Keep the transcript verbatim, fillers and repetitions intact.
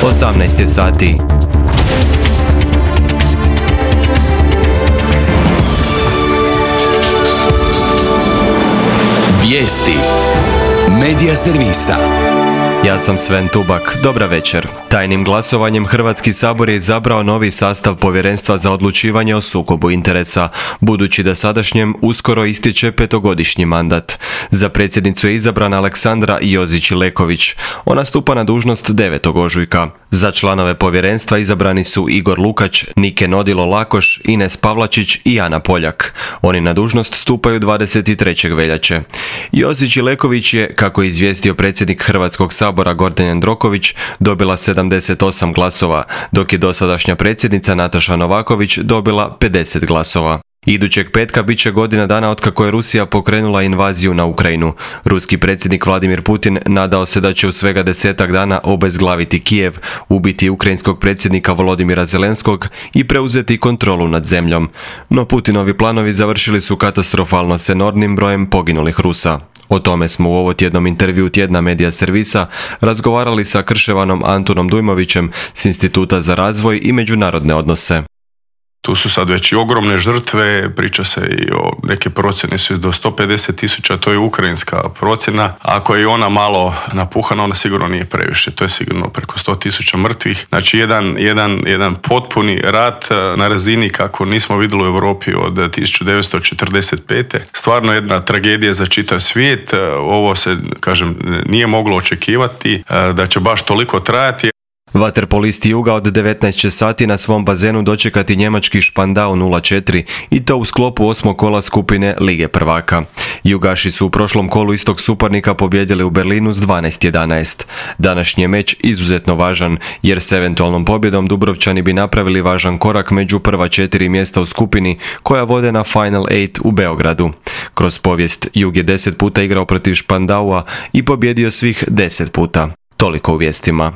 osamnaest je sati. Vijesti Medija servisa. Ja sam Sven Tubak. Dobra večer. Tajnim glasovanjem Hrvatski sabor je izabrao novi sastav Povjerenstva za odlučivanje o sukobu interesa, budući da sadašnjem uskoro ističe petogodišnji mandat. Za predsjednicu je izabrana Aleksandra Jozić-Leković. Ona stupa na dužnost devetog ožujka. Za članove povjerenstva izabrani su Igor Lukač, Nike Nodilo-Lakoš, Ines Pavlačić i Ana Poljak. Oni na dužnost stupaju dvadeset trećeg veljače. Jozić-Leković je, kako je izvijestio predsjednik Hrvatskog sabora Gordan Jandroković, dobila sedamdeset osam glasova, dok je dosadašnja predsjednica Nataša Novaković dobila pedeset glasova. Idućeg petka bit će godina dana otkako je Rusija pokrenula invaziju na Ukrajinu. Ruski predsjednik Vladimir Putin nadao se da će u svega desetak dana obezglaviti Kijev, ubiti ukrajinskog predsjednika Volodimira Zelenskog i preuzeti kontrolu nad zemljom. No Putinovi planovi završili su katastrofalno s enormnim brojem poginulih Rusa. O tome smo u ovotjednom intervjuu tjedna Medija servisa razgovarali sa Krševanom Antunom Dujmovićem s Instituta za razvoj i međunarodne odnose. Tu su sad već i ogromne žrtve, priča se i o neke procjene su do sto pedeset tisuća, to je ukrajinska procjena. Ako je i ona malo napuhana, ona sigurno nije previše, to je sigurno preko sto tisuća mrtvih. Znači jedan, jedan, jedan potpuni rat na razini kako nismo vidjeli u Europi od tisuću devetsto četrdeset pete. Stvarno jedna tragedija za čitav svijet, ovo se, kažem, nije moglo očekivati da će baš toliko trajati. Vaterpolisti Juga od devetnaest će sati na svom bazenu dočekati njemački Špandau nula četiri i to u sklopu osmog kola skupine Lige prvaka. Jugaši su u prošlom kolu istog suparnika pobijedili u Berlinu s dvanaest jedanaest. Današnji je meč izuzetno važan jer s eventualnom pobjedom Dubrovčani bi napravili važan korak među prva četiri mjesta u skupini koja vode na Final osam u Beogradu. Kroz povijest Jug je deset puta igrao protiv Špandaua i pobjedio svih deset puta. Toliko u vijestima.